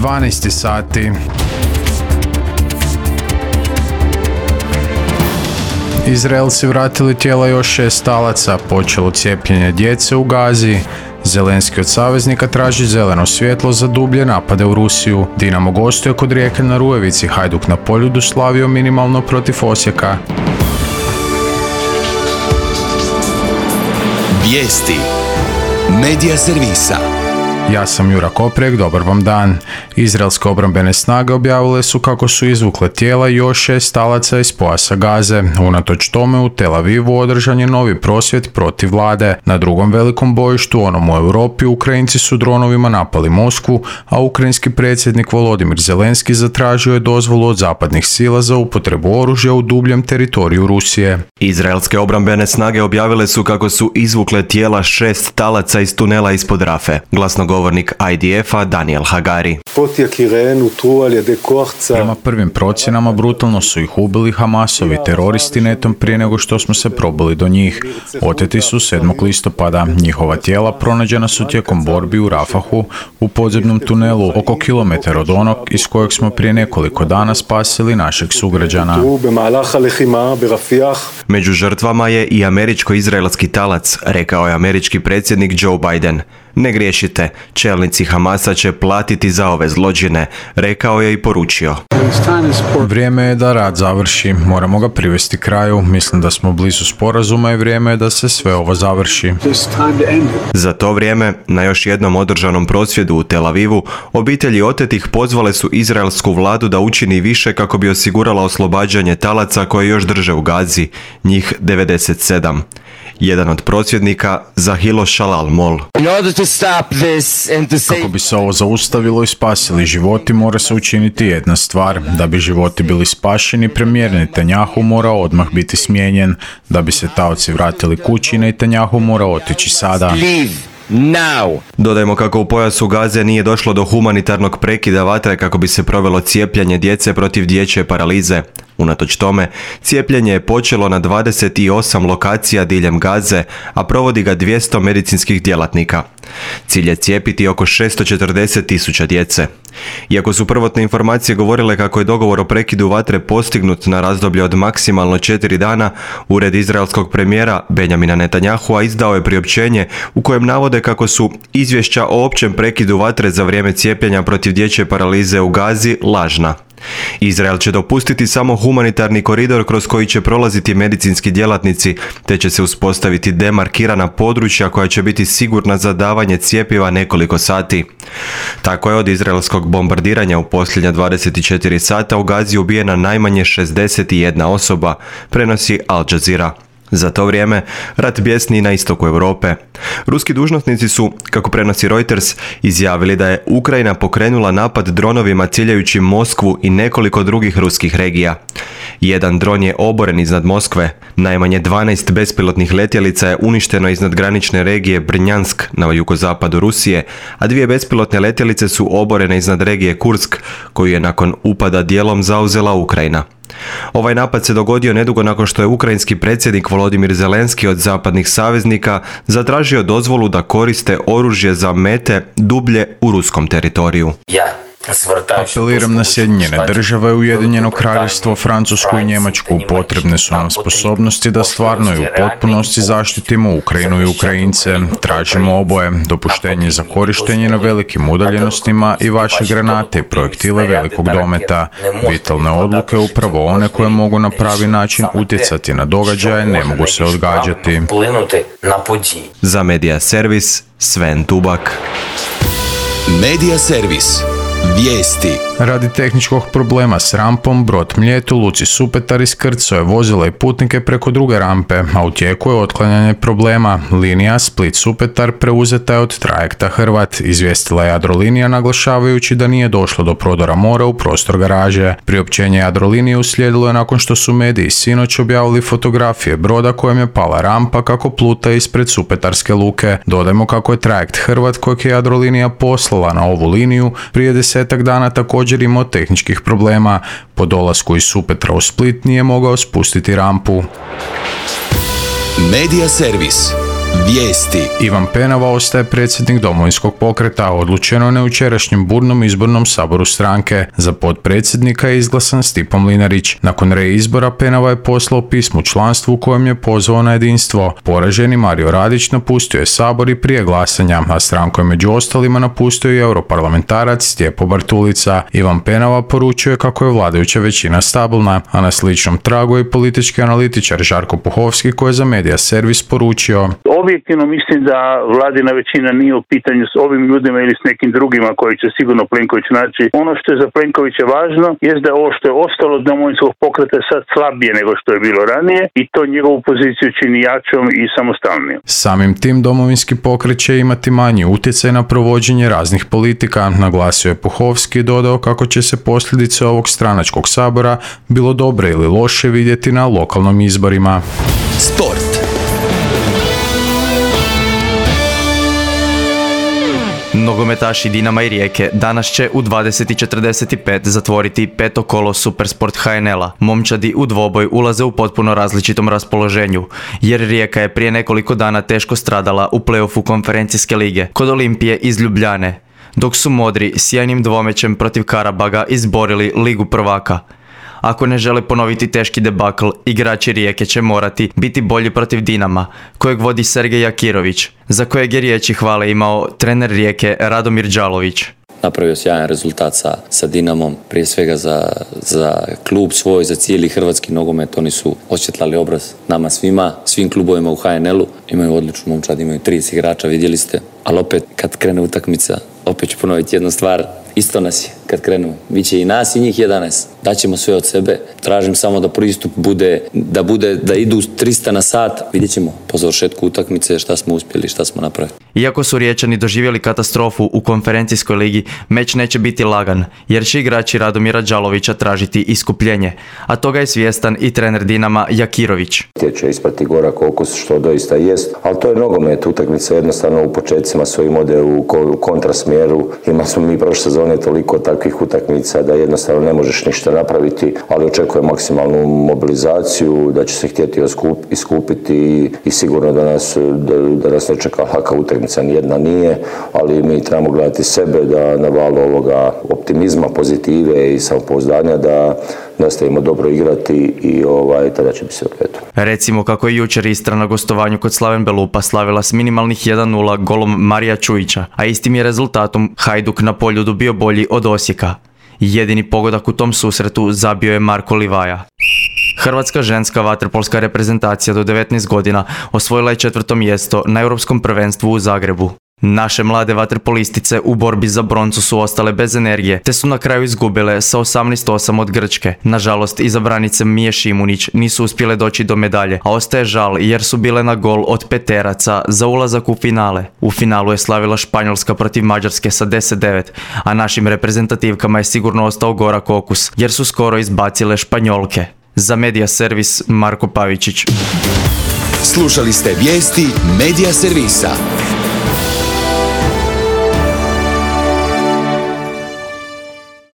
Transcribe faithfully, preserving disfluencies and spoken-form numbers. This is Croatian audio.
dvanaest sati. Izraelci vratili tijela još šest talaca, počelo cijepljenje djece u Gazi. Zelenski od saveznika traži zeleno svjetlo za dublje napade u Rusiju. Dinamo gostuje kod Rijeke na Rujevici, Hajduk na Poljudu slavio minimalno protiv Osijeka. Vijesti Medija servisa. Ja sam Jura Koprek, dobar vam dan. Izraelske obrambene snage objavile su kako su izvukle tijela još šest talaca iz pojasa Gaze. Unatoč tome u Tel Avivu održan je novi prosvjed protiv vlade. Na drugom velikom bojištu, onom u Europi, Ukrajinci su dronovima napali Moskvu, a ukrajinski predsjednik Volodimir Zelenski zatražio je dozvolu od zapadnih sila za upotrebu oružja u dubljem teritoriju Rusije. Izraelske obrambene snage objavile su kako su izvukle tijela šest talaca iz tunela ispod Rafe. Glasnogovornik I D F-a Daniel Hagari. Prema prvim procjenama brutalno su ih ubili Hamasovi teroristi netom prije nego što smo se probili do njih. Oteti su sedmog listopada. Njihova tijela pronađena su tijekom borbi u Rafahu u podzemnom tunelu oko kilometar od onog iz kojeg smo prije nekoliko dana spasili našeg sugrađana. Među žrtvama je i američko-izraelski talac, rekao je američki predsjednik Joe Biden. Ne griješite, čelnici Hamasa će platiti za ove zločine, rekao je i poručio. Vrijeme je da rat završi, moramo ga privesti kraju, mislim da smo blizu sporazuma i vrijeme je da se sve ovo završi. Za to vrijeme, na još jednom održanom prosvjedu u Tel Avivu, obitelji otetih pozvale su izraelsku vladu da učini više kako bi osigurala oslobađanje talaca koje još drže u Gazi, njih devedeset sedam. Jedan od prosvjednika, Zahilo Shalal Mol. Kako bi se ovo zaustavilo i spasili životi, mora se učiniti jedna stvar. Da bi životi bili spašeni, premijer Netanjahu mora odmah biti smijenjen. Da bi se taoci vratili kući, Netanjahu mora otići sada. Now. Dodajmo kako u pojasu Gaze nije došlo do humanitarnog prekida vatre kako bi se provelo cijepljenje djece protiv dječje paralize. Unatoč tome, cijepljenje je počelo na dvadeset osam lokacija diljem Gaze, a provodi ga dvjesto medicinskih djelatnika. Cilj je cijepiti oko šesto četrdeset tisuća djece. Iako su prvotne informacije govorile kako je dogovor o prekidu vatre postignut na razdoblje od maksimalno četiri dana, ured izraelskog premijera Benjamina Netanjahua izdao je priopćenje u kojem navode kako su izvješća o općem prekidu vatre za vrijeme cijepljenja protiv dječje paralize u Gazi lažna. Izrael će dopustiti samo humanitarni koridor kroz koji će prolaziti medicinski djelatnici, te će se uspostaviti demarkirana područja koja će biti sigurna za davanje cjepiva nekoliko sati. Tako je od izraelskog bombardiranja u posljednja dvadeset četiri sata u Gazi ubijena najmanje šezdeset jedna osoba, prenosi Al Jazeera. Za to vrijeme, rat bjesni na istoku Europe. Ruski dužnosnici su, kako prenosi Reuters, izjavili da je Ukrajina pokrenula napad dronovima ciljajući Moskvu i nekoliko drugih ruskih regija. Jedan dron je oboren iznad Moskve, najmanje dvanaest bespilotnih letjelica je uništeno iznad granične regije Brnjansk na jugozapadu Rusije, a dvije bespilotne letjelice su oborene iznad regije Kursk, koju je nakon upada dijelom zauzela Ukrajina. Ovaj napad se dogodio nedugo nakon što je ukrajinski predsjednik Volodimir Zelenski od zapadnih saveznika zatražio dozvolu da koriste oružje za mete dublje u ruskom teritoriju. Apeliram na Sjedinjene države, Ujedinjeno kraljevstvo, Francusku i Njemačku. Potrebne su nam sposobnosti da stvarno i u potpunosti zaštitimo Ukrajinu i Ukrajince. Tražimo oboje, dopuštenje za korištenje na velikim udaljenostima i vaše granate i projektile velikog dometa. Vitalne odluke, upravo one koje mogu na pravi način utjecati na događaje, ne mogu se odgađati. Za Medija servis, Sven Tubak. Medija servis. Vijesti. Radi tehničkog problema s rampom, brod Mljet u luci Supetar iskrcao je vozila i putnike preko druge rampe, a u tijeku je otklanjanje problema. Linija Split-Supetar preuzeta je od trajekta Hrvat, izvijestila je Jadrolinija naglašavajući da nije došlo do prodora mora u prostor garaže. Priopćenje Jadrolinije uslijedilo je nakon što su mediji sinoć objavili fotografije broda kojem je pala rampa kako pluta ispred Supetarske luke. Dodajmo kako je trajekt Hrvat kojeg je Jadrolinija poslala na ovu liniju prije desetak dana također imao tehničkih problema. Po dolasku iz Supetra u Split nije mogao spustiti rampu. Medija servis. Vijesti. Ivan Penava ostaje predsjednik Domovinskog pokreta, odlučeno je na jučerašnjem burnom izbornom saboru stranke. Za potpredsjednika je izglasan Stipo Mlinarić. Nakon reizbora Penava je poslao pismo članstvu u kojem je pozvao na jedinstvo. Poraženi Mario Radić napustio je sabor i prije glasanja, a stranku je među ostalima napustio i europarlamentarac Stjepo Bartulica. Ivan Penava poručuje kako je vladajuća većina stabilna, a na sličnom tragu je i politički analitičar Žarko Puhovski koji je za Media Servis poručio: Objektivno mislim da vladina većina nije u pitanju s ovim ljudima ili s nekim drugima koji će sigurno Plenković naći. Ono što je za Plenkovića važno je da ovo što je ostalo od Domovinskog pokreta je sad slabije nego što je bilo ranije i to njegovu poziciju čini jačom i samostalnijom. Samim tim Domovinski pokret će imati manji utjecaj na provođenje raznih politika, naglasio je Puhovski i dodao kako će se posljedice ovog stranačkog sabora, bilo dobre ili loše, vidjeti na lokalnim izborima. Sport. Nogometaši Dinama i Rijeke danas će u dvadeset i četrdeset pet zatvoriti peto kolo Supersport ha en el-a. Momčadi u dvoboj ulaze u potpuno različitom raspoloženju, jer Rijeka je prije nekoliko dana teško stradala u play-offu konferencijske lige kod Olimpije iz Ljubljane, dok su modri sjajnim dvomećem protiv Karabaga izborili Ligu prvaka. Ako ne žele ponoviti teški debakl, igrači Rijeke će morati biti bolji protiv Dinama, kojeg vodi Sergej Jakirović, za kojeg je riječi hvale imao trener Rijeke Radomir Đalović. Napravio sjajan rezultat sa, sa Dinamom, prije svega za, za klub svoj, za cijeli hrvatski nogomet. Oni su osvjetlali obraz nama svima, svim klubovima u ha en el-u. Imaju odličnu momčad, imaju trideset igrača, vidjeli ste. Ali opet, kad krene utakmica, opet ću ponoviti jednu stvar, isto nas je kad krenemo. Biće i nas i njih jedanaest. Daćemo sve od sebe. Tražim samo da pristup bude, da bude, da idu trista na sat. Vidjet ćemo po završetku utakmice šta smo uspjeli, šta smo napravili. Iako su Riječani doživjeli katastrofu u konferencijskoj ligi, meč neće biti lagan, jer će igrači Radomira Đalovića tražiti iskupljenje, a toga je svjestan i trener Dinama Jakirović. Će ispati gorak okus, što doista jest, ali to je nogomet. Utakmica jednostavno u početcima svojim ode u kontrasmjeru. Ima smo mi prošle sezone toliko takvih utakmica da jednostavno ne možeš ništa napraviti, ali očekujem maksimalnu mobilizaciju, da će se htjeti iskupiti i sigurno da nas, da, da nas ne čeka laka utakmica, nijedna nije, ali mi trebamo gledati sebe da na valu ovoga optimizma, pozitive i samopouzdanja da nastavimo dobro igrati i ovaj, tada će biti sve u redu. Recimo kako je jučer Istra na gostovanju kod Slaven Belupa slavila s minimalnih jedan nula golom Marija Čujića, a istim je rezultatom Hajduk na Poljudu bio bolji od Osijeka. Jedini pogodak u tom susretu zabio je Marko Livaja. Hrvatska ženska vaterpolska reprezentacija do devetnaest godina osvojila je četvrto mjesto na Europskom prvenstvu u Zagrebu. Naše mlade vaterpolistice u borbi za broncu su ostale bez energije, te su na kraju izgubile sa osamnaest osam od Grčke. Nažalost, izabranice Mije Šimunić nisu uspjele doći do medalje, a ostaje žal jer su bile na gol od peteraca za ulazak u finale. U finalu je slavila Španjolska protiv Mađarske sa deset devet, a našim reprezentativkama je sigurno ostao gorak okus, jer su skoro izbacile Španjolke. Za Media Servis, Marko Pavičić. Slušali ste vijesti Media Servisa.